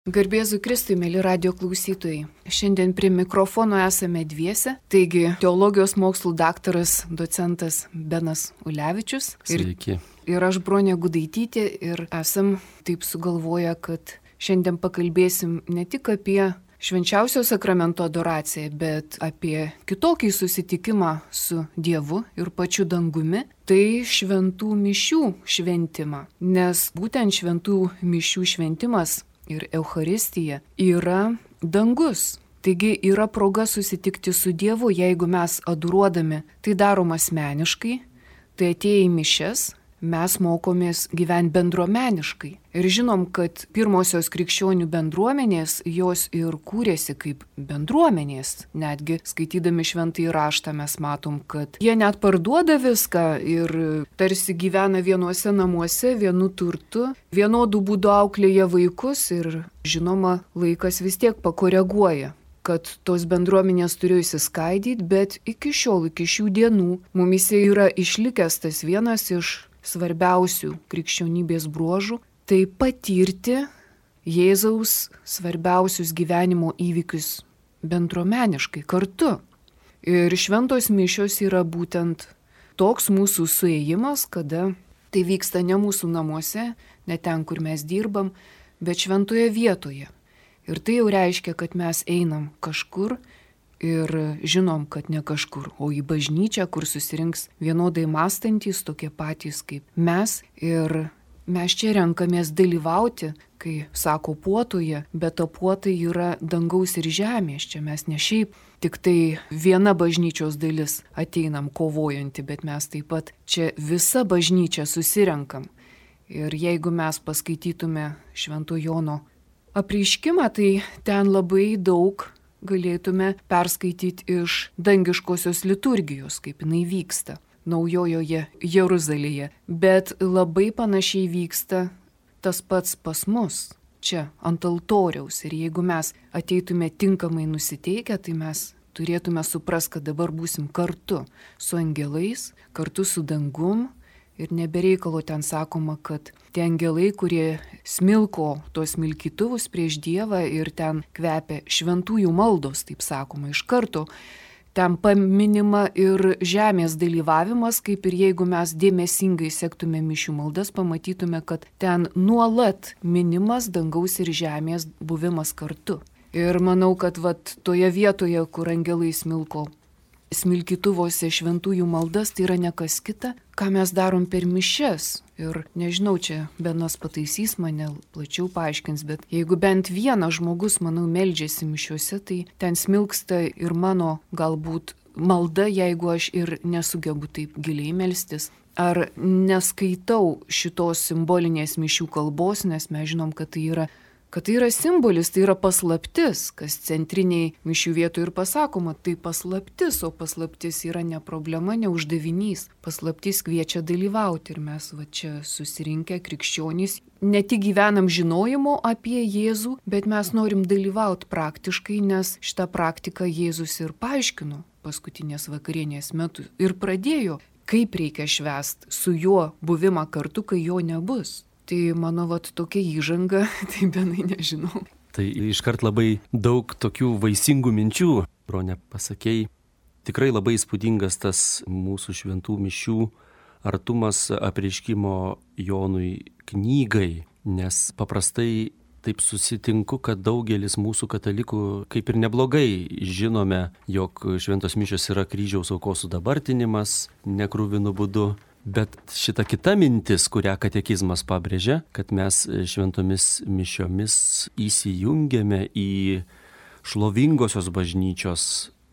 Garbėzu Kristui, mėly radio klausytojai. Šiandien prie mikrofono esame dviese, taigi teologijos mokslų daktaras, docentas Benas Ulevičius. Sveiki. Ir aš Bronė Gudaitytė ir esam taip sugalvoję, kad šiandien pakalbėsim ne tik apie švenčiausio sakramento adoraciją, bet apie kitokį susitikimą su Dievu ir pačiu dangumi, tai šventų mišių šventimą. Nes būtent šventų mišių šventimas ir Eucharistija yra dangus. Taigi yra proga susitikti su Dievu, jeigu mes adoruodami tai darom asmeniškai, tai atėję į mišias mes mokomės gyventi bendruomeniškai. Ir žinom, kad pirmosios krikščionių bendruomenės, jos ir kūrėsi kaip bendruomenės. Netgi skaitydami šventąjį raštą mes matom, kad jie net parduoda viską ir tarsi gyvena vienuose namuose, vienu turtu, vienodų būdų auklėja vaikus ir žinoma, laikas vis tiek pakoreguoja, kad tos bendruomenės turėjo įsiskaidyti, bet iki šiol, iki šių dienų, mumise yra išlikęs tas vienas iš svarbiausių krikščionybės bruožų, tai patirti Jėzaus svarbiausius gyvenimo įvykius bendruomeniškai kartu. Ir šventos mišios yra būtent toks mūsų suėjimas, kada tai vyksta ne mūsų namuose, ne ten, kur mes dirbam, bet šventoje vietoje. Ir tai jau reiškia, kad mes einam kažkur ir žinom, kad ne kažkur, o į bažnyčią, kur susirinks vienodai mąstantys, tokie patys kaip mes. Ir mes čia renkamės dalyvauti, kai sako puotoje, bet to puotai yra dangaus ir žemės. Čia mes ne šiaip tik tai viena bažnyčios dalis ateinam kovojanti, bet mes taip pat čia visa bažnyčia susirenkam. Ir jeigu mes paskaitytume Švento Jono apreiškimą, tai ten labai daug galėtume perskaityti iš dangiškosios liturgijos, kaip jinai vyksta Naujojoje Jeruzalėje. Bet labai panašiai vyksta tas pats pas mus, čia ant altoriaus. Ir jeigu mes ateitume tinkamai nusiteikę, tai mes turėtume suprasti, kad dabar būsim kartu su angelais, kartu su dangum. Ir nebereikalo ten sakoma, kad tie angelai, kurie smilko tos smilkytuvus prieš Dievą ir ten kvepia šventųjų maldos, taip sakoma, iš karto. Ten paminima ir žemės dalyvavimas, kaip ir jeigu mes dėmesingai sektume mišių maldas, pamatytume, kad ten nuolat minimas dangaus ir žemės buvimas kartu. Ir manau, kad toje vietoje, kur angelai smilko smilkytuvose šventųjų maldas, tai yra ne kas kita, ką mes darom per mišias. Ir nežinau, čia Benas pataisys mane, plačiau paaiškins, bet jeigu bent vienas žmogus, manau, meldžiasi mišiuose, tai ten smilksta ir mano galbūt malda, jeigu aš ir nesugebu taip giliai melstis. Ar neskaitau šitos simbolinės mišių kalbos, nes mes žinom, kad tai yra simbolis, tai yra paslaptis, kas centriniai mišių vietoje ir pasakoma, tai paslaptis, o paslaptis yra ne problema, ne uždavinys. Paslaptis kviečia dalyvauti ir mes čia susirinkę krikščionys ne tik gyvenam žinojimo apie Jėzų, bet mes norim dalyvauti praktiškai, nes šitą praktiką Jėzus ir paaiškino paskutinės vakarienės metu ir pradėjo, kaip reikia švęsti su juo buvimą kartu, kai jo nebus. Tai mano tokia įžanga, tai Benai nežinau. Tai iškart labai daug tokių vaisingų minčių, Bronė, pasakėjai. Tikrai labai įspūdingas tas mūsų šventų mišių artumas apreiškimo Jonui knygai, nes paprastai taip susitinku, kad daugelis mūsų katalikų kaip ir neblogai žinome, jog šventos mišios yra kryžiaus aukos sudabartinimas nekruvinu būdu. Bet šita kita mintis, kurią katekizmas pabrėžia, kad mes šventomis mišiomis įsijungiame į šlovingosios bažnyčios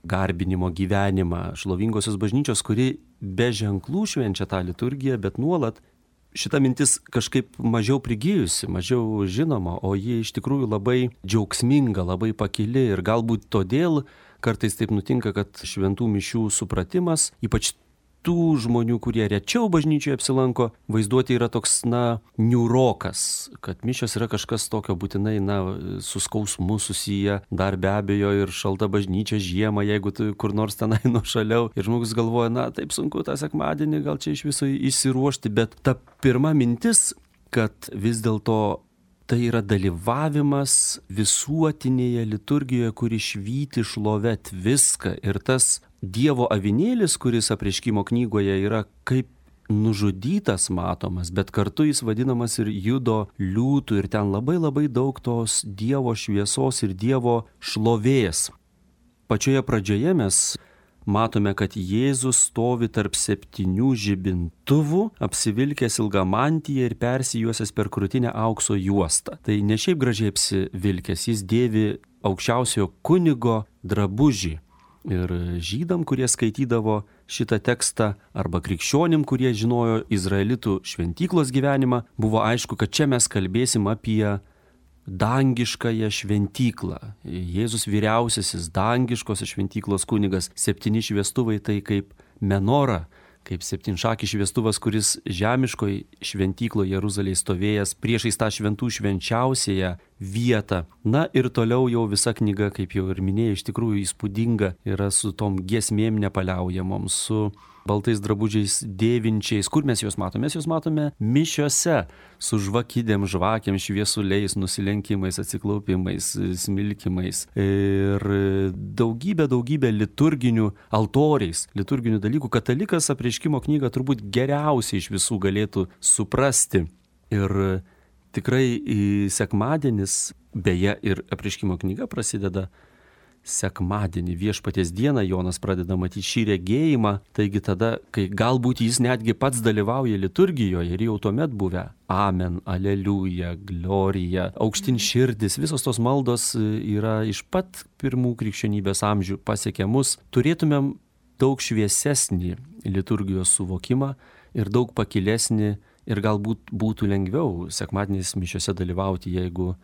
garbinimo gyvenimą, šlovingosios bažnyčios, kuri be ženklų švenčia tą liturgiją, bet nuolat šita mintis kažkaip mažiau prigijusi, mažiau žinoma, o ji iš tikrųjų labai džiaugsminga, labai pakili ir galbūt todėl kartais taip nutinka, kad šventų mišių supratimas, ypač tų žmonių, kurie rečiau bažnyčioje apsilanko, vaizduoti yra toks, niūrokas, kad mišios yra kažkas tokio būtinai, su skausmu susiję, dar be abejo ir šalta bažnyčia žiemą, jeigu tu kur nors tenai nuošaliau. Ir žmogus galvoja, taip sunku tą sekmadienį, gal čia iš viso išsiruošti, bet ta pirma mintis, kad vis dėlto tai yra dalyvavimas visuotinėje liturgijoje, kuri švyti šlovet viską. Ir tas Dievo avinėlis, kuris apreiškimo knygoje yra kaip nužudytas matomas, bet kartu jis vadinamas ir judo liūtų ir ten labai daug tos Dievo šviesos ir Dievo šlovės. Pačioje pradžioje mes matome, kad Jėzus stovi tarp 7 žibintuvų, apsivilkęs ilgą mantiją ir persijuosęs per krūtinę aukso juostą. Tai ne šiaip gražiai apsivilkęs, jis dėvi aukščiausiojo kunigo drabužį. Ir žydam, kurie skaitydavo šitą tekstą, arba krikščionim, kurie žinojo izraelitų šventyklos gyvenimą, buvo aišku, kad čia mes kalbėsim apie dangiškąją šventyklą. Jėzus vyriausiasis dangiškosios šventyklos kunigas, 7 šviestuvai tai kaip menora, kaip 7-šakis šviestuvas, kuris žemiškoj šventykloje Jeruzalėje stovėjęs priešais tą šventų švenčiausiąją vietą. Na ir toliau jau visa knyga, kaip jau ir minėjau, iš tikrųjų įspūdinga yra su tom giesmėm nepaliaujamom, su baltais drabužiais dėvinčiais. Kur mes juos matome? Mes juos matome mišiose, su žvakidėm, žvakėm, šviesuliais, nusilenkimais, atsiklaupimais, smilkimais ir daugybė liturginių altoriais, liturginių dalykų. Katalikas apreiškimo knygą turbūt geriausiai iš visų galėtų suprasti. Ir tikrai sekmadienis, beje, ir apreiškimo knyga prasideda sekmadienį, Viešpaties dieną Jonas pradeda matyti šį regėjimą, taigi tada, kai galbūt jis netgi pats dalyvauja liturgijoje ir jau tuomet buvę amen, aleliuja, glorija, aukštin širdis, visos tos maldos yra iš pat pirmų krikščionybės amžių pasiekę mus, turėtumėm daug šviesesnį liturgijos suvokimą ir daug pakilesnį ir galbūt būtų lengviau sekmadieniais mišiose dalyvauti, jeigu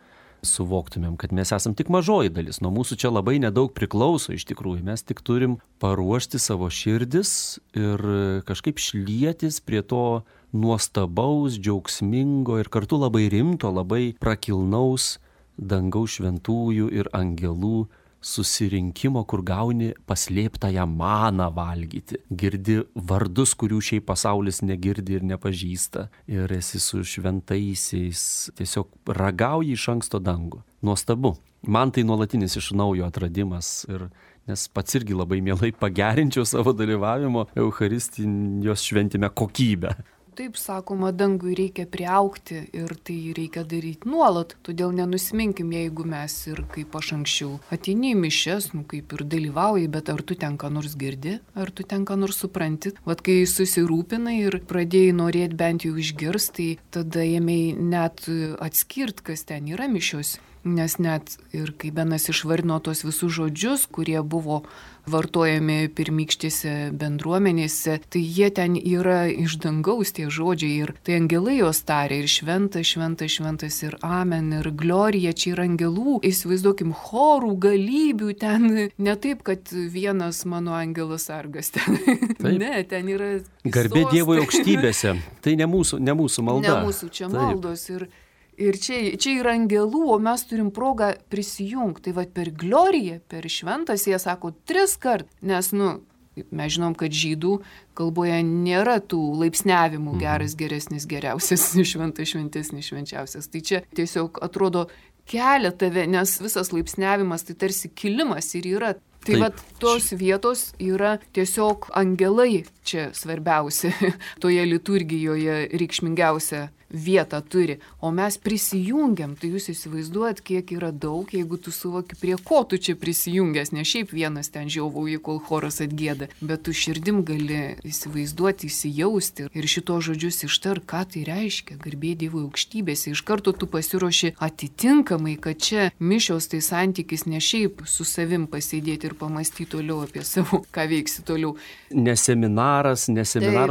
suvoktumėm, kad mes esam tik mažoji dalis. Nuo mūsų čia labai nedaug priklauso iš tikrųjų. Mes tik turim paruošti savo širdis ir kažkaip šlietis prie to nuostabaus, džiaugsmingo ir kartu labai rimto, labai prakilnaus dangaus šventųjų ir angelų susirinkimo, kur gauni paslėptąją maną valgyti. Girdi vardus, kurių šiaip pasaulis negirdi ir nepažįsta. Ir esi su šventaisiais, tiesiog ragauji iš anksto dangų. Nuostabu. Man tai nuolatinis iš naujo atradimas. Nes pats irgi labai mielai pagerinčiau savo dalyvavimo Eucharistijos šventime kokybę. Taip sakoma, dangui reikia priaugti ir tai reikia daryti nuolat, todėl nenusiminkim, jeigu mes ir kaip aš anksčiau ateini į mišias, kaip ir dalyvauji, bet ar tu ten ką nors girdi, ar tu ten ką nors supranti. Vat kai susirūpinai ir pradėjai norėti bent jau išgirsti, tai tada ėmėjai net atskirti, kas ten yra mišios. Nes net ir kai Benas išvardino tos visus žodžius, kurie buvo vartojami pirmykštėse bendruomenėse, tai jie ten yra iš dangaus tie žodžiai ir tai angelai jos tarė ir šventas, šventas, šventas ir amen ir glorija, čia yra angelų, įsivaizduokim, chorų, galybių ten, ne taip, kad vienas mano angelas sargas ten, ne, ten yra garbė Dievui aukštybėse, tai ne mūsų malda. Ne mūsų čia maldos ir čia yra angelų, o mes turim progą prisijungti. Tai va per gloriją, per šventas, jie sako 3 kart, nes, mes žinom, kad žydų kalboje nėra tų laipsniavimų geras, geresnis, geriausias, šventas, šventesnis, švenčiausias. Tai čia tiesiog atrodo kelia tave, nes visas laipsniavimas tai tarsi kilimas ir yra. Tai va tos vietos yra tiesiog angelai čia svarbiausia, toje liturgijoje reikšmingiausia vietą turi, o mes prisijungiam, tai jūs įsivaizduojat, kiek yra daug, jeigu tu suvoki, prie ko tu čia prisijungęs, ne šiaip vienas ten žiauvauji, kol choras atgieda, bet tu širdim gali įsivaizduoti, įsijausti ir šito žodžius ištar, ką tai reiškia, garbė Dievui aukštybėse, iš karto tu pasiruoši atitinkamai, kad čia mišios tai santykis ne šiaip su savim pasėdėti ir pamastyti toliau apie savo, ką veiksi toliau. Ne seminaras,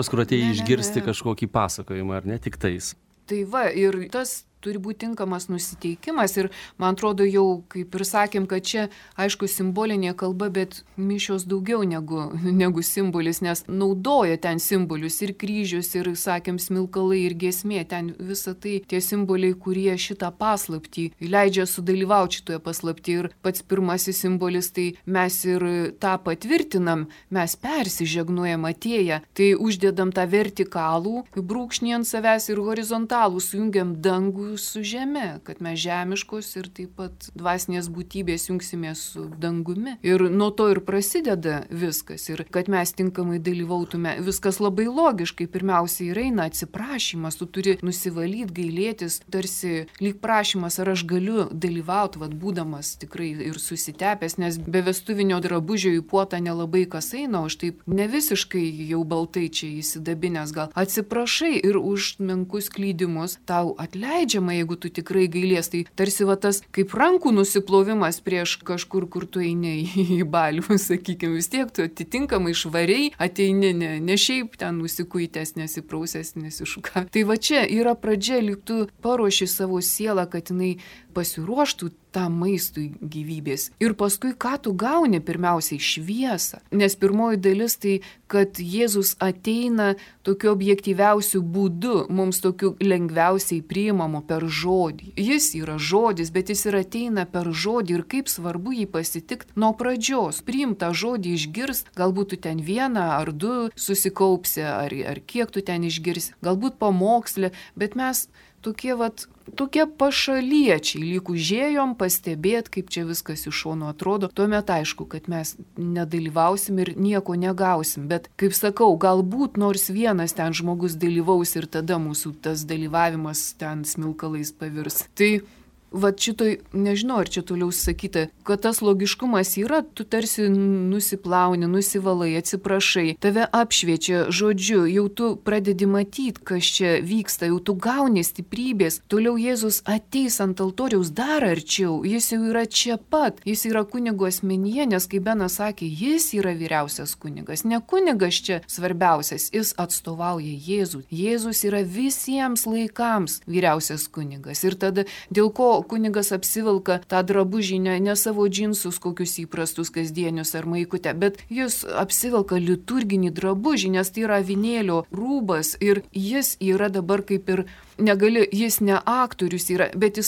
kur atėjai išgirsti kažkokį pasakojimą, ar ne tik tais. Tai va, ir tas turi būti tinkamas nusiteikimas ir man atrodo jau, kaip ir sakėm, kad čia, aišku, simbolinė kalba, bet mišios daugiau negu simbolis, nes naudoja ten simbolius ir kryžius, ir, sakėm, smilkalai, ir giesmė, ten visa tai tie simboliai, kurie šitą paslaptį leidžia sudalyvauti šitoje paslapti. Ir pats pirmasis simbolis, tai mes ir tą patvirtinam, mes persižegnuojam atėję, tai uždedam tą vertikalų brūkšnį ant savęs ir horizontalų, sujungiam dangų su žeme, kad mes žemiškos ir taip pat dvasinės būtybės jungsimės su dangumi. Ir nuo to ir prasideda viskas. Ir kad mes tinkamai dalyvautume, viskas labai logiškai. Pirmiausia ir eina atsiprašymas, tu turi nusivalyti, gailėtis, tarsi lyg prašymas, ar aš galiu dalyvauti, būdamas tikrai ir susitepęs, nes be vestuvinio drabužio į puotą nelabai kas eina, o aš taip ne visiškai jau baltai čia įsidabinęs, gal atsiprašai ir už menkus klydimus tau atleidžiama, jeigu tu tikrai gailės. Tai tarsi tas kaip rankų nusiplovimas prieš kažkur, kur tu eini į balių, sakykime, vis tiek tu atitinkamai švariai ateini, ne šiaip ten nusikuitęs, nesiprausęs, nesišuka. Tai čia yra pradžia, lyg tu paruoši savo sielą, kad jinai pasiruoštų tam maistui gyvybės. Ir paskui, ką tu gauni, pirmiausiai šviesą. Nes pirmoji dalis tai, kad Jėzus ateina tokiu objektyviausiu būdu, mums tokiu lengviausiai priimamu per žodį. Jis yra žodis, bet jis ir ateina per žodį ir kaip svarbu jį pasitikti nuo pradžios. Priim tą žodį, išgirst, galbūt tu ten vieną ar du susikaupsi, ar kiek tu ten išgirsi, galbūt pamokslė, bet mes tokie pašaliečiai, lyg užėjom pastebėti, kaip čia viskas iš šono atrodo. Tuomet aišku, kad mes nedalyvausim ir nieko negausim. Bet, kaip sakau, galbūt nors vienas ten žmogus dalyvaus ir tada mūsų tas dalyvavimas ten smilkalais pavirs. Tai šitoj, nežinau, ar čia toliau sakyta, kad tas logiškumas yra, tu tarsi nusiplauni, nusivalai, atsiprašai, tave apšviečia žodžiu, jau tu pradedi matyti, kas čia vyksta, jau tu gauni stiprybės, toliau Jėzus ateis ant altoriaus dar arčiau, jis jau yra čia pat, jis yra kunigo asmenyje, nes kaip Benas sakė, jis yra vyriausias kunigas, ne kunigas čia svarbiausias, jis atstovauja Jėzų. Jėzus yra visiems laikams vyriausias kunigas ir tada dėl ko kunigas apsivilka tą drabužį, ne savo džinsus kokius įprastus kasdienius ar maikutę, bet jis apsivilka liturginį drabužį, nes tai yra avinėlio rūbas ir jis yra dabar kaip ir jis ne aktorius yra, bet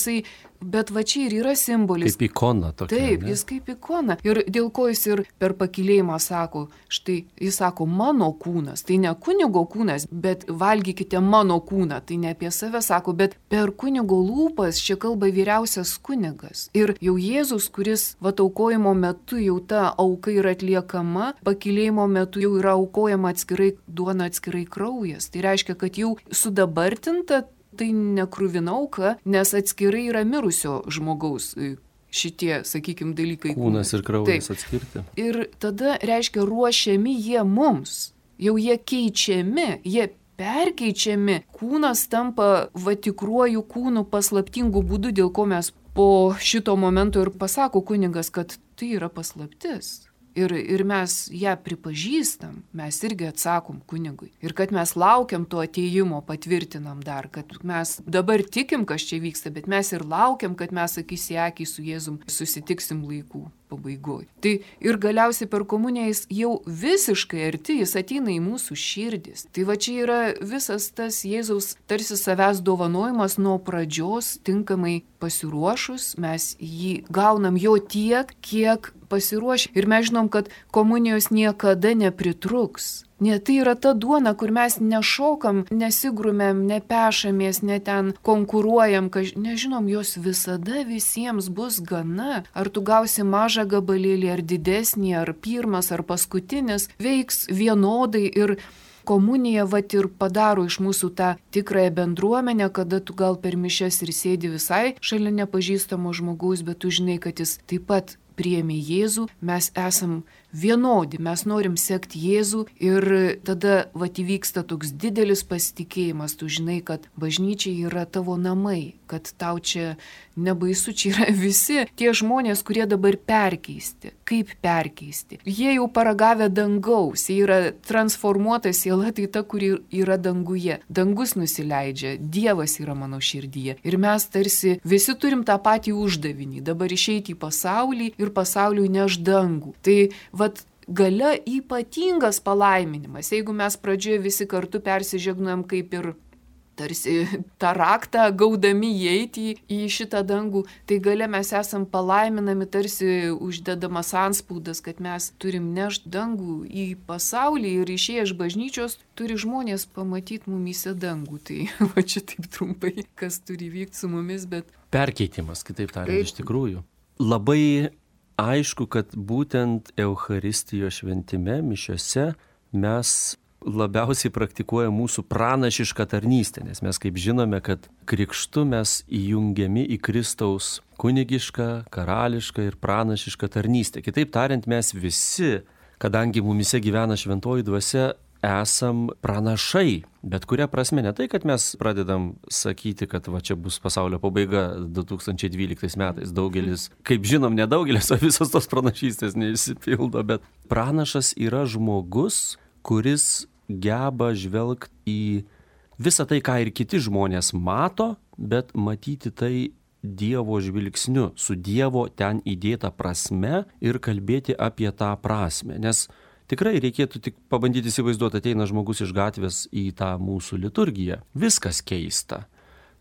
čia ir yra simbolis. Kaip ikona tokia. Taip, jis kaip ikona. Ir dėl ko jis ir per pakylėjimą sako, štai jis sako mano kūnas, tai ne kunigo kūnas, bet valgykite mano kūną, tai ne apie save sako, bet per kunigo lūpas čia kalba vyriausias kunigas. Ir jau Jėzus, kuris aukojimo metu jau ta auka yra atliekama, pakylėjimo metu jau yra aukojama atskirai duona, atskirai kraujas. Tai reiškia, kad jau sudabartinta tai nekruvina auka, nes atskirai yra mirusio žmogaus šitie, sakykime, dalykai. Kūnas ir kraujas atskirti. Ir tada, reiškia, ruošiami jie mums. Jau jie keičiami, jie perkeičiami. Kūnas tampa tikruoju kūnu paslaptingu būdu, dėl ko mes po šito momento ir pasako kunigas, kad tai yra paslaptis. Ir mes ją pripažįstam, mes irgi atsakom kunigui. Ir kad mes laukiam to atėjimo, patvirtinam dar, kad mes dabar tikim, kas čia vyksta, bet mes ir laukiam, kad mes akis į akį su Jėzum susitiksim laikų pabaigoje. Tai ir galiausiai per komuniją jis jau visiškai arti, jis ateina į mūsų širdis. Tai čia yra visas tas Jėzaus tarsi savęs dovanojimas nuo pradžios, tinkamai pasiruošus, mes jį gaunam jo tiek, kiek pasiruošę. Ir mes žinom, kad komunijos niekada nepritruks. Ne, tai yra ta duona, kur mes nešokam, nesigrumėm, nepešamės, ne ten konkuruojam, nežinom, jos visada visiems bus gana. Ar tu gausi mažą gabalėlį, ar didesnį, ar pirmas, ar paskutinis, veiks vienodai ir komunija ir padaro iš mūsų tą tikrąją bendruomenę, kada tu gal per mišias ir sėdi visai šalia nepažįstamo žmogaus, bet tu žinai, kad jis taip pat priėmė Jėzų, mes esam vienodi, mes norim sekti Jėzų ir tada įvyksta toks didelis pasitikėjimas, tu žinai, kad bažnyčia yra tavo namai, kad tau čia nebaisu, čia yra visi tie žmonės, kurie dabar perkeisti. Kaip perkeisti? Jie jau paragavę dangaus, jie yra transformuota siela, tai ta, kuri yra danguje. Dangus nusileidžia, Dievas yra mano širdyje. Ir mes tarsi visi turim tą patį uždavinį, dabar išeiti į pasaulį ir pasauliui neš dangų. Tai gale ypatingas palaiminimas, jeigu mes pradžioje visi kartu persižegnojam kaip ir tarsi tą raktą gaudami įeiti į šitą dangų, tai gale mes esam palaiminami, tarsi uždedamas anspaudas, kad mes turim nešti dangų į pasaulį ir išėję iš bažnyčios turi žmonės pamatyti mumyse dangų. Tai va čia taip trumpai, kas turi vykti su mumis, bet... Perkeitimas, kitaip tariant, iš tikrųjų. Labai aišku, kad būtent Eucharistijos šventime, mišiose mes labiausiai praktikuoja mūsų pranašišką tarnystę, nes mes kaip žinome, kad krikštu mes įjungiami į Kristaus kunigišką, karališką ir pranašišką tarnystę. Kitaip tariant, mes visi, kadangi mumise gyvena šventoji dvasia, esam pranašai, bet kuria prasme ne tai, kad mes pradedam sakyti, kad va čia bus pasaulio pabaiga 2012 metais. Daugelis, kaip žinom, nedaugelis, o visos tos pranašystės neišsipildo, bet pranašas yra žmogus, kuris geba žvelgti į visą tai, ką ir kiti žmonės mato, bet matyti tai Dievo žvilgsniu, su Dievo ten įdėta prasme ir kalbėti apie tą prasme. Nes tikrai reikėtų tik pabandyti įsivaizduoti, ateina žmogus iš gatvės į tą mūsų liturgiją. Viskas keista.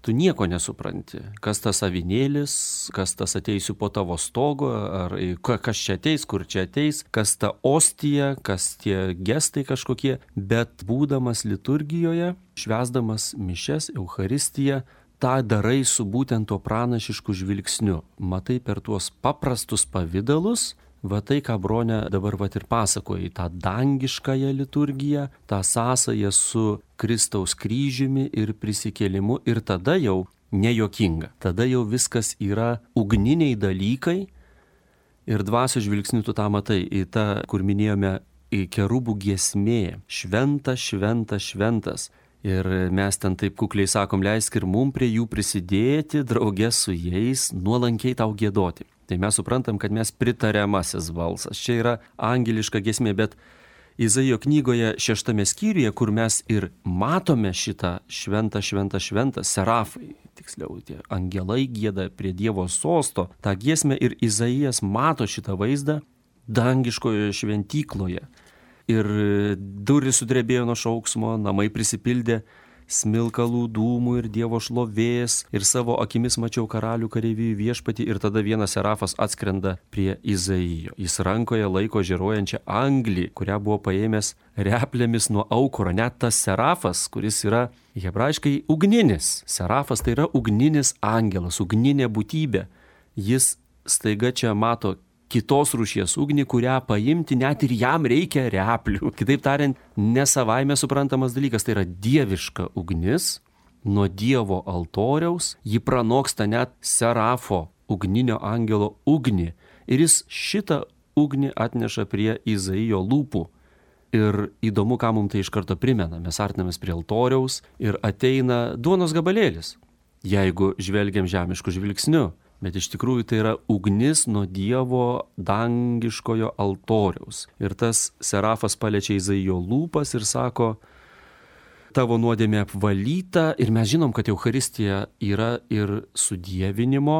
Tu nieko nesupranti, kas tas avinėlis, kas tas ateisiu po tavo stogo, ar kas čia ateis, kur čia ateis, kas ta ostija, kas tie gestai kažkokie, bet būdamas liturgijoje, švęsdamas mišias, Eucharistiją, tą darai su būtent tuo pranašišku žvilgsniu. Matai per tuos paprastus pavidalus, va tai, ką Bronė dabar va ir pasakoja, tą dangiškąją liturgiją, tą sąsają su Kristaus kryžiumi ir prisikėlimu, ir tada jau nejuokinga. Tada jau viskas yra ugniniai dalykai ir dvasios žvilgsniu tu tą matai. Į tą, kur minėjome, į kerubų giesmė, šventas, šventas, šventas. Ir mes ten taip kukliai sakom, leisk ir mum prie jų prisidėti, draugė su jais, nuolankiai tau giedoti. Tai mes suprantam, kad mes pritariamasis balsas. Čia yra angeliška giesmė, bet Izaijo knygoje 6 skyriuje, kur mes ir matome šitą šventą, šventą, šventą, serafai, tiksliau, tie angelai gieda prie Dievo sosto, tą giesmę ir Izaijas mato šitą vaizdą dangiškoje šventykloje. Ir durys sudrebėjo nuo šauksmo, namai prisipildė smilkalų dūmų ir Dievo šlovės, ir savo akimis mačiau karalių kareivijų viešpatį, ir tada vienas serafas atskrenda prie Izaijo. Jis rankoje laiko žėruojančią anglį, kurią buvo paėmęs replėmis nuo aukuro. Net tas serafas, kuris yra hebrajiškai ugninis. Serafas tai yra ugninis angelas, ugninė būtybė. Jis staiga čia mato kitos rūšies ugnį, kurią paimti net ir jam reikia replių. Kitaip tariant, ne savaime suprantamas dalykas, tai yra dieviška ugnis, nuo Dievo altoriaus, ji pranoksta net serafo ugninio angelo ugnį. Ir jis šitą ugnį atneša prie Izaijo lūpų. Ir įdomu, ką mums tai iš karto primena. Mes artinamės prie altoriaus ir ateina duonos gabalėlis, jeigu žvelgiam žemišku žvilgsniu. Bet iš tikrųjų tai yra ugnis nuo Dievo dangiškojo altoriaus. Ir tas serafas paliečia Izaijo lūpas ir sako, tavo nuodėmė apvalyta. Ir mes žinom, kad Eucharistija yra ir sudievinimo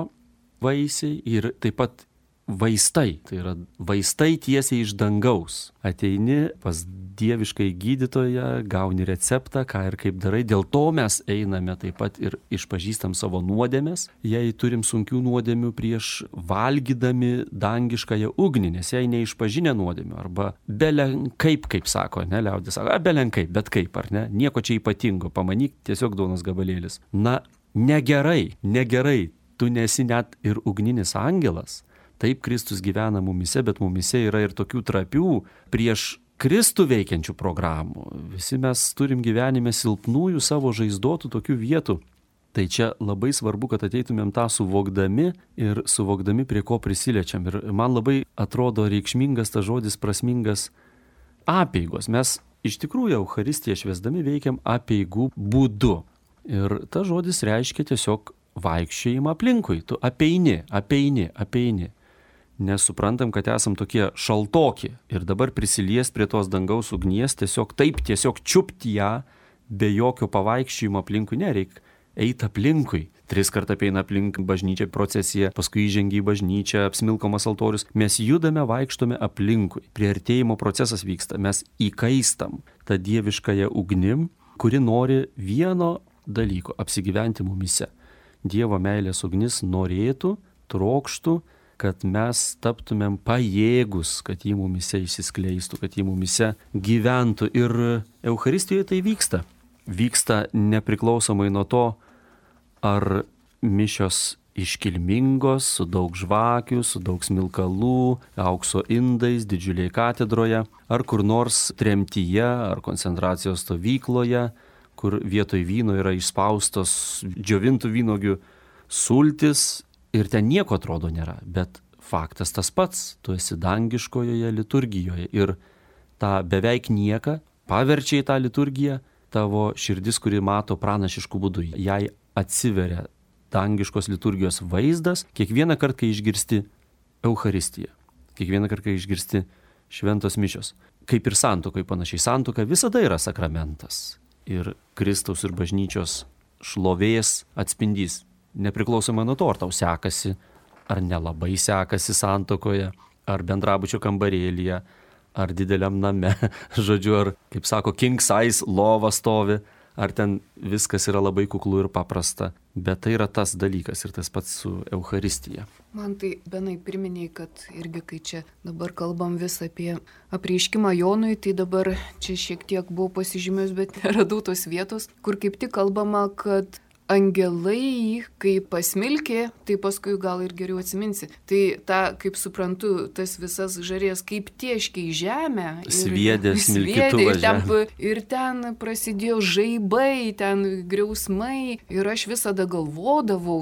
vaisiai ir taip pat vaistai. Tai yra vaistai tiesiai iš dangaus. Ateini pas dieviškai gydytoją, gauni receptą, ką ir kaip darai. Dėl to mes einame taip pat ir išpažįstam savo nuodėmes. Jei turim sunkių nuodėmių prieš valgydami dangiškąją ugnį, nes jei neišpažinę nuodėmių, arba belenkaip, kaip sako, ne, liaudis sako, belenkaip, bet kaip, ar ne, nieko čia ypatingo, pamanyk, tiesiog duonos gabalėlis. Na, negerai, tu nesi net ir ugninis angelas. Taip Kristus gyvena mumise, bet mumise yra ir tokių trapių prieš Kristų veikiančių programų. Visi mes turim gyvenime silpnųjų savo žaizdotų tokių vietų. Tai čia labai svarbu, kad ateitumėm tą suvokdami ir suvokdami, prie ko prisiliečiam. Ir man labai atrodo reikšmingas tas žodis, prasmingas apeigos. Mes iš tikrųjų Eucharistiją švęsdami veikiam apeigų būdu. Ir tas žodis reiškia tiesiog vaikščiojimą aplinkui. Tu apeini. Nes suprantam, kad esam tokie šaltoki ir dabar prisilies prie tos dangaus ugnies, tiesiog čiupti ją be jokio pavaikščiojimo aplinkui nereik. Eit aplinkui. 3 kartą apeina aplink bažnyčią procesiją, paskui įžengia į bažnyčią, apsmilkomas altorius. Mes judame, vaikštome aplinkui. Priartėjimo procesas vyksta. Mes įkaistam tą dieviškąją ugnim, kuri nori vieno dalykų - apsigyventi mumise. Dievo meilės ugnis norėtų, trokštų, kad mes taptumėm pajėgus, kad jį mumise išsiskleistų, kad jį mumise gyventų. Ir Eucharistijoje tai vyksta. Vyksta nepriklausomai nuo to, ar mišios iškilmingos, su daug žvakių, su daug smilkalų, aukso indais, didžiuliai katedroje, ar kur nors tremtyje, ar koncentracijos stovykloje, kur vietoj vyno yra išspaustos džiovintų vynogių sultis ir ten nieko atrodo nėra. Bet faktas tas pats, tu esi dangiškojoje liturgijoje ir tą beveik nieką paverčia į tą liturgiją tavo širdis, kuri mato pranašiškų būdų. Jai atsiveria dangiškos liturgijos vaizdas kiekvieną kartą, kai išgirsti Eucharistiją, kiekvieną kartą, kai išgirsti šventos mišios. Kaip ir santuokai panašiai. Santuoka visada yra sakramentas ir Kristaus ir bažnyčios šlovės atspindys. Nepriklausomai nuo to, ar tau sekasi, ar nelabai sekasi santuokoje, ar bendrabučio kambarėlyje, ar dideliam name, žodžiu, ar, kaip sako, king size lova stovi, ar ten viskas yra labai kuklu ir paprasta. Bet tai yra tas dalykas ir tas pats su Eucharistija. Man tai, Benai, priminiai, kad irgi kai čia dabar kalbam vis apie apreiškimą Jonui, tai dabar čia šiek tiek buvau pasižymėjus, bet neradau tos vietos, kur kaip tik kalbama, kad angelai, kai pasmilkė, tai paskui gal ir geriau atsiminsi. Tai ta, kaip suprantu, tas visas žarės kaip tieškiai žemę. Sviedė smilkytuvą žemę. Ir ten prasidėjo žaibai, ten griausmai. Ir aš visada galvodavau,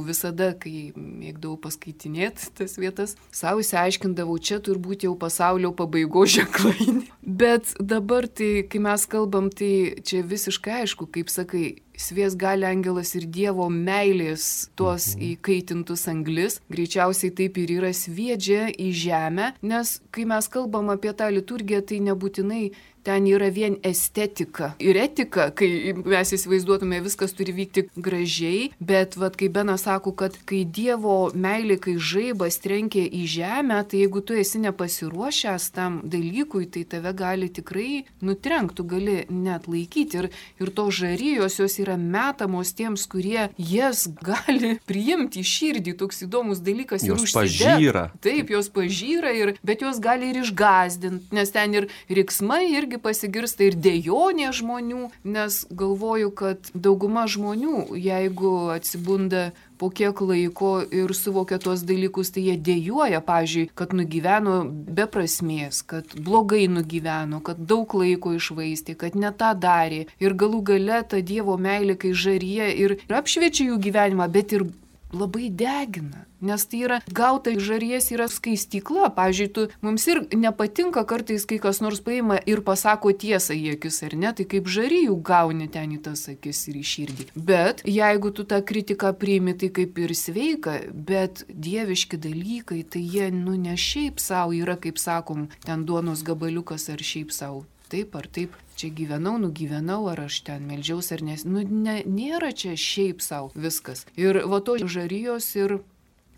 kai mėgdavau paskaitinėti tas vietas, savo išsiaiškindavau, čia turbūt jau pasaulio pabaigos ženklai. Bet dabar, tai, kai mes kalbam, tai čia visiškai aišku, kaip sakai, svies gali angelas ir Dievo meilės tuos įkaitintus anglis. Greičiausiai taip ir yra, sviedžia į žemę, nes kai mes kalbam apie tą liturgiją, tai nebūtinai ten yra vien estetika ir etika, kai mes įsivaizduotume, viskas turi vykti gražiai, bet kai Benas sako, kad kai Dievo meilė, kai žaibas trenkia į žemę, tai jeigu tu esi nepasiruošęs tam dalykui, tai tave gali tikrai nutrenkti, tu gali net laikyti. Ir to žarijos jos yra metamos tiems, kurie jas gali priimti į širdį. Toks įdomus dalykas ir užsidėti. Taip, jos pažyra, bet jos gali ir išgąsdinti, nes ten ir riksmai irgi pasigirsta ir dejonė žmonių, nes galvoju, kad dauguma žmonių, jeigu atsibunda po kiek laiko ir suvokia tuos dalykus, tai jie dejuoja, pavyzdžiui, kad nugyveno be prasmės, kad blogai nugyveno, kad daug laiko išvaistė, kad ne tą darė. Ir galų gale ta Dievo meilė, kai žaryje ir apšviečia jų gyvenimą, bet ir labai degina. Nes tai yra, gauta žaries yra skaistykla. Pavyzdžiui, mums ir nepatinka kartais, kai kas nors paima ir pasako tiesą į akis, ar ne? Tai kaip žarijų gauni ten į tas akis ir į širdį. Bet jeigu tu tą kritiką priimi, tai kaip ir sveika, bet dieviški dalykai, tai jie, ne šiaip savo yra, kaip sakom, ten duonos gabaliukas ar šiaip savo. Taip ar taip, čia gyvenau, nugyvenau, ar aš ten meldžiaus, ar nes. Nėra čia šiaip savo viskas. Ir to žarijos ir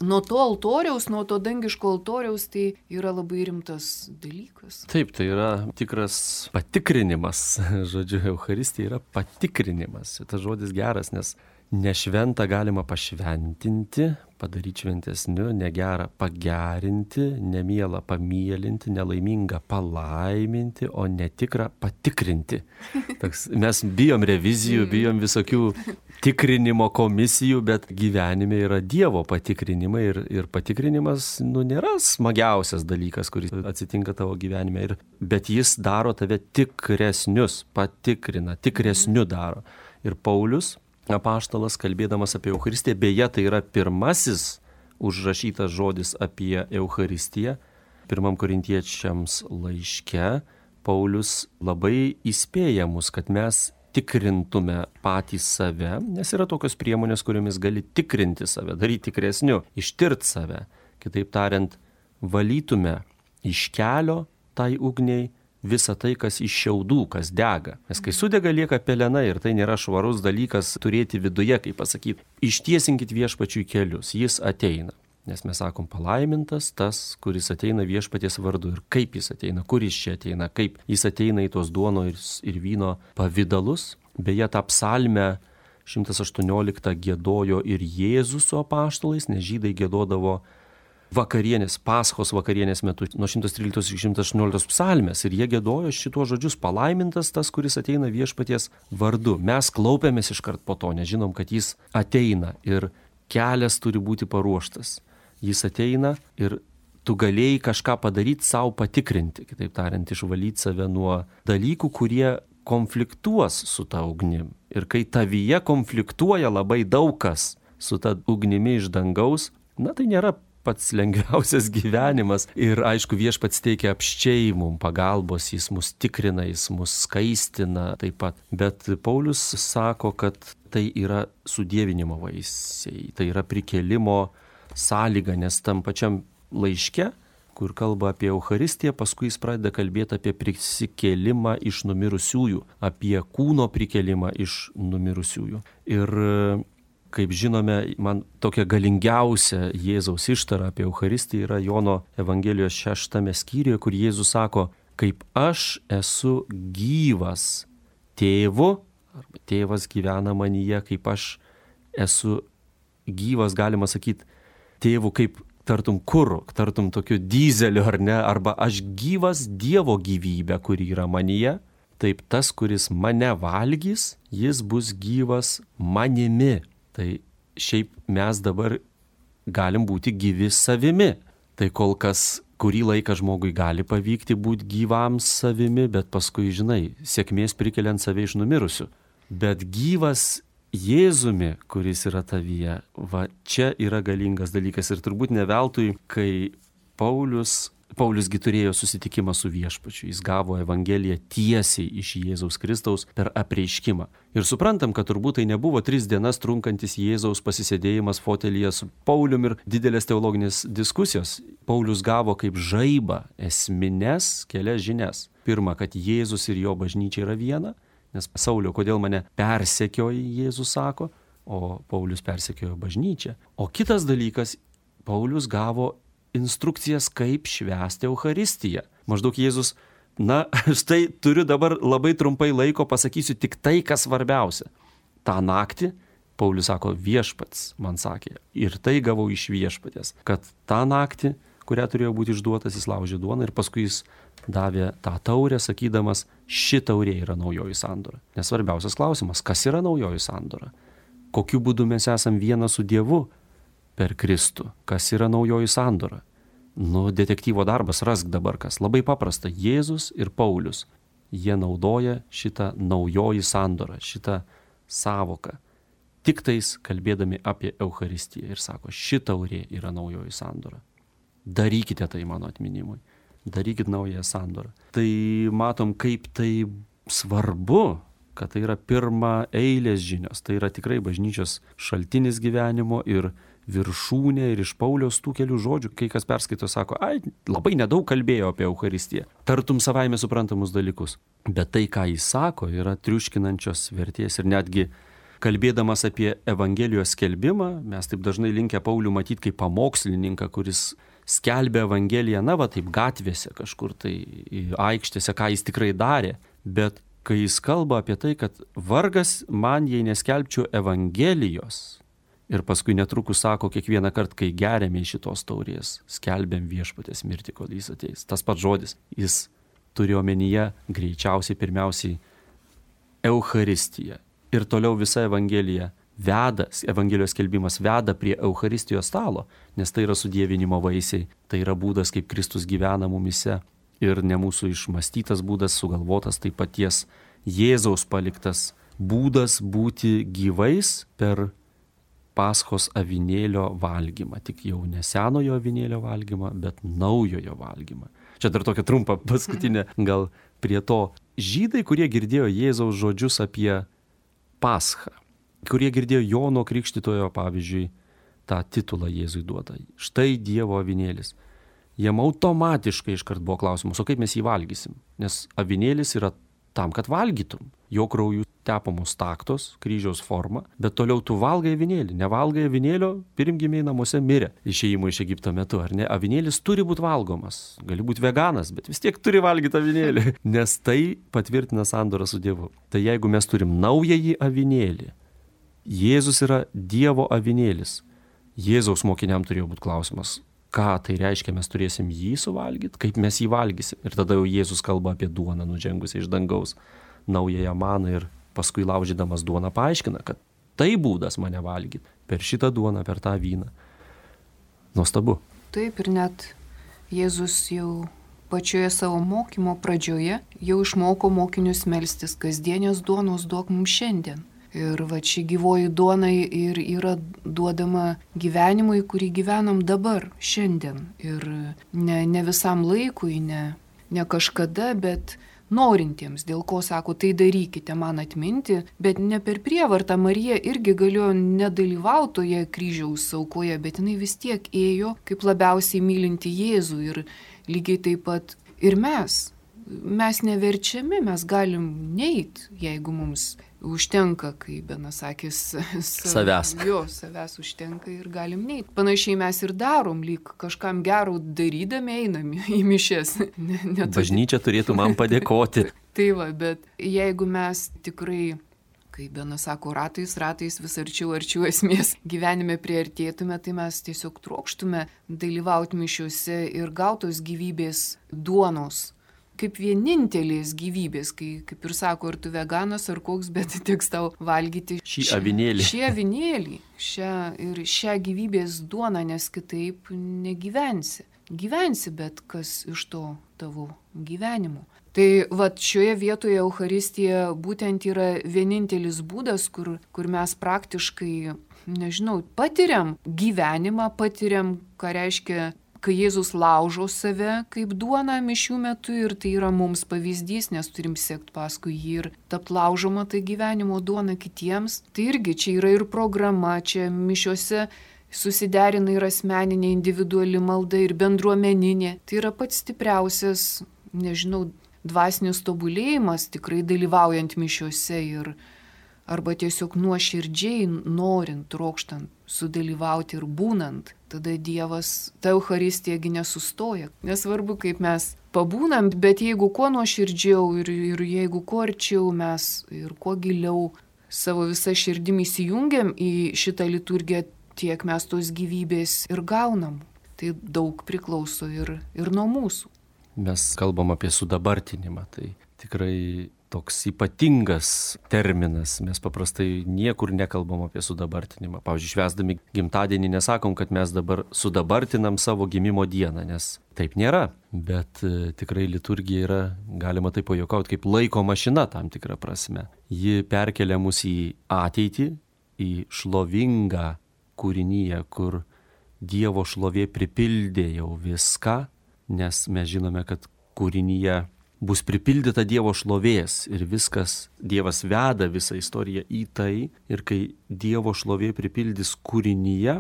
nuo to altoriaus, nuo to dangiško altoriaus, tai yra labai rimtas dalykas. Taip, tai yra tikras patikrinimas. Žodžiu, Eucharistija yra patikrinimas. Tas žodis geras, nes nešventą galima pašventinti, padaryti šventesniu, negerą pagerinti, nemielą pamielinti, nelaimingą palaiminti, o netikrą patikrinti. Mes bijom revizijų, bijom visokių tikrinimo komisijų, bet gyvenime yra Dievo patikrinimai ir patikrinimas nėra smagiausias dalykas, kuris atsitinka tavo gyvenime, bet jis daro tave tikresnius, patikrina, tikresniu daro. Ir Paulius, apaštalas, kalbėdamas apie Eucharistiją, beje, tai yra pirmasis užrašytas žodis apie Eucharistiją. 1 Korintiečiams laiške Paulius labai įspėja mus, kad mes tikrintume patys save, nes yra tokios priemonės, kuriomis gali tikrinti save, daryti tikresniu, ištirti save. Kitaip tariant, valytume iš kelio tai ugniai visą tai, kas iš šiaudų, kas dega. Nes kai sudega, lieka pelena ir tai nėra švarus dalykas turėti viduje, kaip pasakyti. Ištiesinkit Viešpačiui kelius, jis ateina. Nes mes sakom, palaimintas tas, kuris ateina Viešpaties vardu. Ir kaip jis ateina, kur jis čia ateina, kaip jis ateina į tos duonos ir vyno pavidalus. Beje, tą psalmę 118 giedojo ir Jėzus su apaštalais, nes žydai giedodavo vakarienės, Paschos vakarienės metu nuo 113 iki 118 psalmės ir jie giedojo šituos žodžius: palaimintas tas, kuris ateina viešpaties vardu. Mes klaupėmės iškart po to, nes žinom, kad jis ateina ir kelias turi būti paruoštas. Jis ateina ir tu galėjai kažką padaryti, savo patikrinti, kitaip tariant, išvalyti save nuo dalykų, kurie konfliktuos su ta ugnim. Ir kai tavyje konfliktuoja labai daug kas su ta ugnimi iš dangaus, tai nėra pats lengviausias gyvenimas. Ir aišku, viešpats teikia apsčiai mums pagalbos, jis mus tikrina, jis mus skaistina taip pat. Bet Paulius sako, kad tai yra sudievinimo vaisiai, tai yra prikėlimo sąlyga, nes tam pačiam laiške, kur kalba apie Eucharistiją, paskui jis pradeda kalbėti apie prisikėlimą iš numirusiųjų, apie kūno prikėlimą iš numirusiųjų. Ir kaip žinome, man tokia galingiausia Jėzaus ištara apie Eucharistiją yra Jono Evangelijos 6 skyriuje, kur Jėzus sako: kaip aš esu gyvas tėvu, arba tėvas gyvena manyje, kaip aš esu gyvas, galima sakyti, tėvu kaip tartum kuru, tartum tokiu dizeliu, ar ne, arba aš gyvas Dievo gyvybę, kuri yra manyje, taip tas, kuris mane valgys, jis bus gyvas manimi. Tai šiaip mes dabar galim būti gyvi savimi. Tai kol kas kurį laiką žmogui gali pavykti būti gyvam savimi, bet paskui, žinai, sėkmės prikeliant save iš numirusių. Bet gyvas Jėzumi, kuris yra tavyje, va čia yra galingas dalykas. Ir turbūt ne veltui, kai Pauliusgi turėjo susitikimą su viešpačiu. Jis gavo Evangeliją tiesiai iš Jėzaus Kristaus per apreiškimą. Ir suprantam, kad turbūt tai nebuvo 3 dienas trunkantis Jėzaus pasisėdėjimas fotelyje su Paulium ir didelės teologinės diskusijos. Paulius gavo kaip žaibą esmines kelias žinias. Pirma, kad Jėzus ir jo bažnyčia yra viena, nes Sauliau, kodėl mane persekioji, Jėzus sako, o Paulius persekiojo bažnyčią. O kitas dalykas, Paulius gavo instrukcijas, kaip švęsti Eucharistiją. Maždaug Jėzus, štai turiu dabar labai trumpai laiko, pasakysiu tik tai, kas svarbiausia. Ta naktį, Paulius sako, viešpats man sakė, ir tai gavau iš viešpatės, kad tą naktį, kurią turėjo būti išduotas, jis laužė duoną ir paskui jis davė tą taurę, sakydamas, ši taurė yra naujoji sandora. Nes svarbiausias klausimas, kas yra naujoji sandora? Kokiu būdu mes esam viena su Dievu per Kristų? Kas yra naujoji sandora? Detektyvo darbas, rask dabar kas. Labai paprasta. Jėzus ir Paulius, jie naudoja šitą naujoji sandora, šitą sąvoką. Tik tais kalbėdami apie Eucharistiją ir sako, ši taurė yra naujoji sandora. Darykite tai mano atminimui. Darykit naują sandorą. Tai matom, kaip tai svarbu, kad tai yra pirma eilės žinios. Tai yra tikrai bažnyčios šaltinis gyvenimo ir viršūnė, ir iš Pauliaus tų kelių žodžių, kai kas perskaito, sako, labai nedaug kalbėjo apie Eucharistiją. Tartum savaime suprantamus dalykus. Bet tai, ką jis sako, yra triuškinančios vertės. Ir netgi kalbėdamas apie Evangelijos skelbimą, mes taip dažnai linkę Paulių matyti kaip pamokslininką, kuris skelbė Evangeliją, taip gatvėse kažkur, tai aikštėse, ką jis tikrai darė. Bet kai jis kalba apie tai, kad vargas man, jei neskelbčiau Evangelijos, ir paskui netrukus sako, kiekvieną kartą, kai geriame iš šitos taurės, skelbiam viešpatės mirtį, kol jis ateis. Tas pats žodis, jis turi omenyje greičiausiai pirmiausiai Eucharistiją. Ir toliau visa Evangelija veda, Evangelijos skelbimas veda prie Eucharistijos stalo, nes tai yra sudievinimo vaisiai, tai yra būdas, kaip Kristus gyvena mumise ir ne mūsų išmastytas būdas, sugalvotas, tai paties Jėzaus paliktas būdas būti gyvais per Paschos avinėlio valgymą, tik jau ne senojo avinėlio valgymą, bet naujojo valgymą. Čia dar tokia trumpa paskutinė gal prie to. Žydai, kurie girdėjo Jėzaus žodžius apie Paschą, kurie girdėjo Jono Krikštytojo, pavyzdžiui, tą titulą Jėzui duotą. Štai Dievo avinėlis. Jiem automatiškai iškart buvo klausimas, o kaip mes jį valgysim? Nes avinėlis yra tam, kad valgytum. Jo krauju tepamos taktos, kryžiaus forma, bet toliau tu valgai avinėlį. Nevalgai avinėlio, pirmgimiai namuose mirė išėjimo iš Egipto metu, ar ne? Avinėlis turi būti valgomas. Gali būti veganas, bet vis tiek turi valgyti avinėlį, nes tai patvirtina sandorą su Dievu. Tai jeigu mes turim naująjį avinėlį, Jėzus yra Dievo avinėlis. Jėzaus mokiniam turėjo būti klausimas, ką tai reiškia, mes turėsim jį suvalgyti, kaip mes jį valgysim. Ir tada jau Jėzus kalba apie duoną nužengusią iš dangaus, naująją maną, ir paskui laužydamas duoną paaiškina, kad tai būdas mane valgyti, per šitą duoną, per tą vyną. Nuostabu. Taip, ir net Jėzus jau pačioje savo mokymo pradžioje jau išmoko mokinius melstis, kasdienės duonos duok mums šiandien. Ir va ši gyvoji duona ir yra duodama gyvenimui, kurį gyvenam dabar, šiandien. Ir ne visam laikui, ne kažkada, bet norintiems, dėl ko sako, tai darykite man atminti, bet ne per prievartą. Marija irgi galėjo nedalyvauti toje kryžiaus aukoje, bet jinai vis tiek ėjo kaip labiausiai mylinti Jėzų. Ir lygiai taip pat ir mes neverčiami, mes galim neit, jeigu mums užtenka, kaip Benas sakys, savęs užtenka ir galim neit. Panašiai mes ir darom, lyg kažkam gero darydami einam į mišias. Bažnyčia turėtų man padėkoti. Tai va, bet jeigu mes tikrai, kaip Benas sako, ratais vis arčiau esmės gyvenime priartėtume, tai mes tiesiog trokštume dalyvauti mišiuose ir gautos gyvybės duonos. Kaip vienintelės gyvybės, kaip ir sako, ar tu veganas, ar koks, bet teks tau valgyti šį avinėlį. Šį avinėlį, šią gyvybės duoną, nes kitaip negyvensi. Gyvensi, bet kas iš to tavo gyvenimo. Tai vat šioje vietoje Eucharistija būtent yra vienintelis būdas, kur mes praktiškai, patiriam gyvenimą, patiriam, ką reiškia, kai Jėzus laužo save kaip duoną mišių metu, ir tai yra mums pavyzdys, nes turim sekti paskui jį ir tapti laužoma tai gyvenimo duona kitiems. Tai irgi čia yra ir programa, čia mišiuose susiderina ir asmeninė, individuali malda, ir bendruomeninė. Tai yra pats stipriausias, dvasinis tobulėjimas, tikrai dalyvaujant mišiuose ir arba tiesiog nuoširdžiai norint, trokštant sudalyvauti ir būnant, tada Dievas, ta Eucharistijagi nesustoja. Nesvarbu, kaip mes pabūnam, bet jeigu kuo nuoširdžiau ir jeigu kuo arčiau mes ir kuo giliau savo visą širdimi įsijungiam į šitą liturgiją, tiek mes tos gyvybės ir gaunam. Tai daug priklauso ir nuo mūsų. Mes kalbam apie sudabartinimą, tai tikrai toks ypatingas terminas. Mes paprastai niekur nekalbam apie sudabartinimą. Pavyzdžiui, švęsdami gimtadienį nesakom, kad mes dabar sudabartinam savo gimimo dieną, nes taip nėra. Bet tikrai liturgija yra, galima taip pajuokauti, kaip laiko mašina tam tikrą prasme. Ji perkelia mus į ateitį, į šlovingą kūrinyje, kur Dievo šlovė pripildė jau viską, nes mes žinome, kad kūrinyje bus pripildyta Dievo šlovės ir viskas, Dievas veda visą istoriją į tai, ir kai Dievo šlovė pripildys kūrinyje,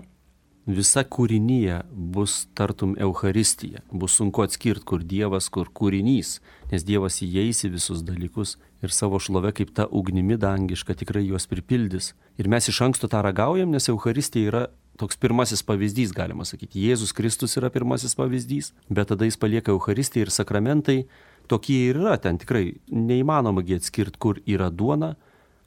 visa kūrinyje bus tartum Eucharistija. Bus sunku atskirti, kur Dievas, kur kūrinys, nes Dievas įeis į visus dalykus ir savo šlovę kaip ta ugnimi dangiška tikrai juos pripildys. Ir mes iš anksto tą ragaujam, nes Eucharistija yra toks pirmasis pavyzdys, galima sakyti. Jėzus Kristus yra pirmasis pavyzdys, bet tada jis palieka Eucharistiją ir sakramentai. Tokie ir yra, ten tikrai neįmanoma atskirti, kur yra duona,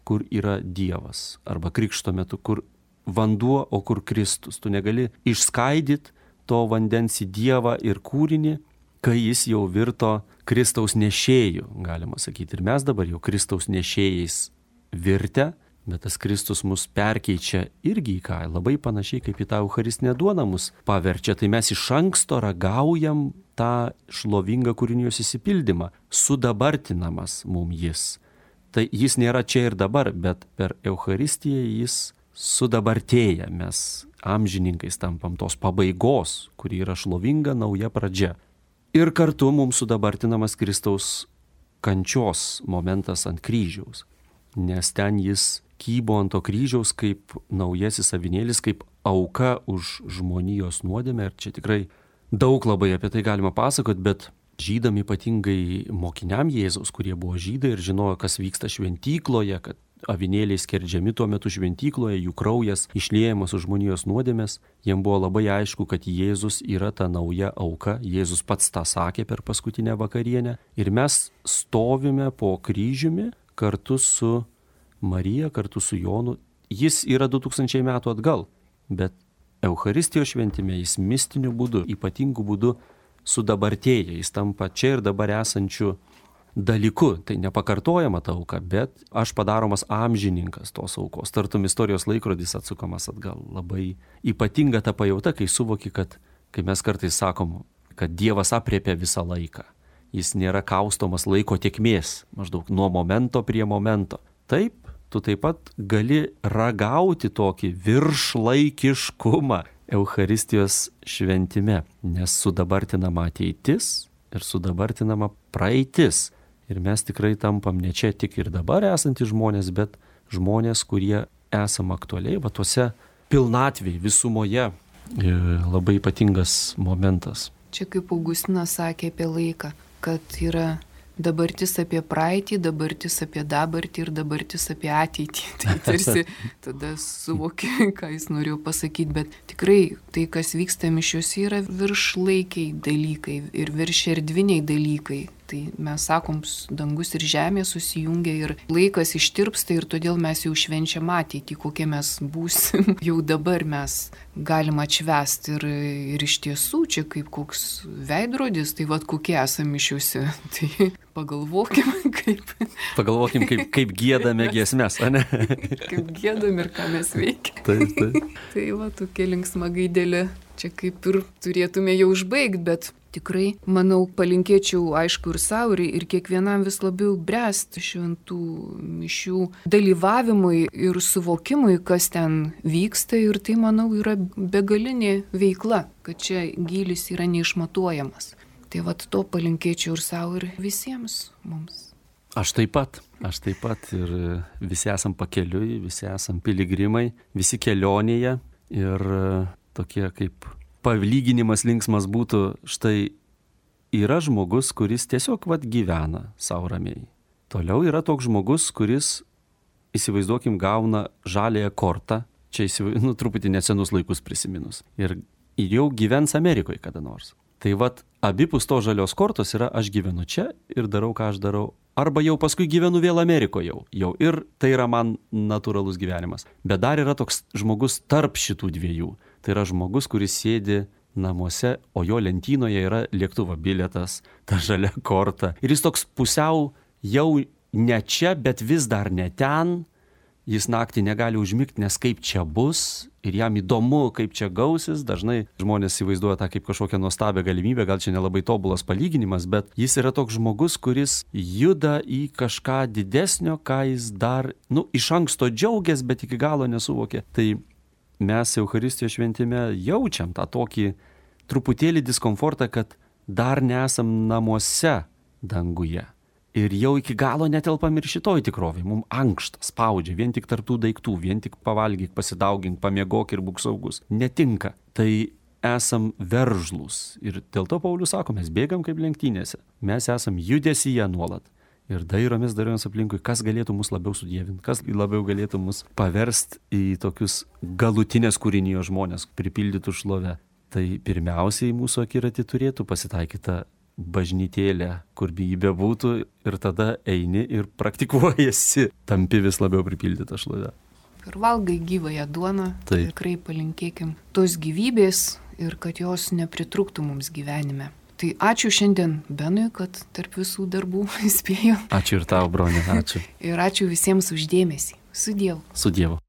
kur yra Dievas. Arba krikšto metu, kur vanduo, o kur Kristus. Tu negali išskaidyti to vandens į Dievą ir kūrinį, kai jis jau virto Kristaus nešėjų, galima sakyti. Ir mes dabar jau Kristaus nešėjais virtę, bet tas Kristus mus perkeičia irgi į ką, labai panašiai kaip į tą Eucharistinę duoną mus paverčia. Tai mes iš anksto ragaujam tą šlovingą kūrinijos įsipildymą, sudabartinamas mums jis. Tai jis nėra čia ir dabar, bet per Eucharistiją jis sudabartėja. Mes amžininkais tampam tos pabaigos, kuri yra šlovinga nauja pradžia. Ir kartu mums sudabartinamas Kristaus kančios momentas ant kryžiaus, nes ten jis kybo ant to kryžiaus kaip naujasis avinėlis, kaip auka už žmonijos nuodėmę. Ir čia tikrai daug labai apie tai galima pasakoti, bet žydam, ypatingai mokiniam Jėzaus, kurie buvo žydai ir žinojo, kas vyksta šventykloje, kad avinėliai skerdžiami tuo metu šventykloje, jų kraujas išliejamas už žmonijos nuodėmės, jiem buvo labai aišku, kad Jėzus yra ta nauja auka. Jėzus pats tą sakė per paskutinę vakarienę. Ir mes stovime po kryžiumi kartu su Marija, kartu su Jonu jis yra 2000 metų atgal, bet Eucharistijos šventime jis mistiniu būdu, ypatingu būdu sudabartėja, jis tampa čia ir dabar esančiu dalyku. Tai nepakartojama ta auka, bet aš padaromas amžininkas tos aukos. Tartum istorijos laikrodis atsukamas atgal. Labai ypatinga ta pajauta, kai suvoki, kad, kai mes kartais sakom, kad Dievas apriepia visą laiką. Jis nėra kaustomas laiko tėkmės, maždaug nuo momento prie momento. Taip, tu taip pat gali ragauti tokį viršlaikiškumą Eucharistijos šventime, nes sudabartinama ateitis ir sudabartinama praeitis. Ir mes tikrai tampam ne čia tik ir dabar esantys žmonės, bet žmonės, kurie esam aktualiai, va tuose pilnatvėj, visumoje. Labai ypatingas momentas. Čia kaip Augustinas sakė apie laiką, kad yra dabartis apie praeitį, dabartis apie dabartį ir dabartis apie ateitį. Tai tarsi tada suvoki, ką jis norėjo pasakyti, bet tikrai tai, kas vyksta mišiuose, yra viršlaikiai dalykai ir viršerdviniai dalykai. Tai mes sakom, dangus ir žemė susijungia ir laikas ištirpsta ir todėl mes jau švenčiam ateitį, kokie mes būsim. Jau dabar mes galim atšvęsti ir iš tiesų čia kaip koks veidrodis, tai vad kokie esame mišiuose. Tai pagalvokim, kaip giedame giesmes, ane? Kaip giedam ir ką mes veikiam. Taip. Tai va, tokia linksma gaidelė. Čia kaip ir turėtume jau užbaigti, bet tikrai, manau, palinkėčiau, aišku, ir savo, ir kiekvienam vis labiau bręsti šventų mišių dalyvavimui ir suvokimui, kas ten vyksta. Ir tai, manau, yra begalinė veikla, kad čia gylis yra neišmatuojamas. Tai vat to palinkėčiau ir savo, ir visiems mums. Aš taip pat ir visi esam pakeliui, visi esam piligrimai, visi kelionėje ir tokie kaip palyginimas linksmas būtų, štai yra žmogus, kuris tiesiog gyvena savo ramiai. Toliau yra toks žmogus, kuris, įsivaizduokim, gauna žaliąją kortą, čia truputį nesenus laikus prisiminus, ir jau gyvens Amerikoje kada nors. Tai abipus to žalios kortos yra aš gyvenu čia ir darau, ką aš darau. Arba jau paskui gyvenu vėl Amerikoje jau. Ir tai yra man natūralus gyvenimas. Bet dar yra toks žmogus tarp šitų dviejų. Tai yra žmogus, kuris sėdi namuose, o jo lentynoje yra lėktuvo bilietas, ta žalia korta. Ir jis toks pusiau jau ne čia, bet vis dar ne ten. Jis naktį negali užmigti, nes kaip čia bus ir jam įdomu, kaip čia gausis. Dažnai žmonės įvaizduoja tą kaip kažkokią nuostabią galimybę, gal čia nelabai tobulas palyginimas, bet jis yra toks žmogus, kuris juda į kažką didesnio, ką jis dar, iš anksto džiaugiasi, bet iki galo nesuvokė. Tai mes Eucharistijos šventime jaučiam tą tokį truputėlį diskomfortą, kad dar nesam namuose danguje. Ir jau iki galo netelpam ir šitoj tikrovėj. Mums ankšta, spaudžia, vien tik tarptų daiktų, vien tik pavalgyk, pasidaugink, pamiegok ir būk saugus. Netinka. Tai esam veržlūs. Ir dėl to Paulius sako, mes bėgam kaip lenktynėse. Mes esam judesyje nuolat. Ir dairomės aplinkui, kas galėtų mus labiau sudievinti, kas labiau galėtų mus paversti į tokius galutinės kūrinijos žmonės, pripildytų šlovę. Tai pirmiausiai mūsų akiratį turėtų pasitaikyta bažnytėlė, kur jį bebūtų, ir tada eini ir praktikuojasi, tampi vis labiau pripildytą šlovę. Ir valgai gyvąją duoną, tai tikrai palinkėkim tos gyvybės ir kad jos nepritrūktų mums gyvenime. Tai ačiū šiandien Benui, kad tarp visų darbų spėjo. Ačiū ir tau, broni, ačiū. Ir ačiū visiems už dėmesį. Su Dievu. Su Dievu.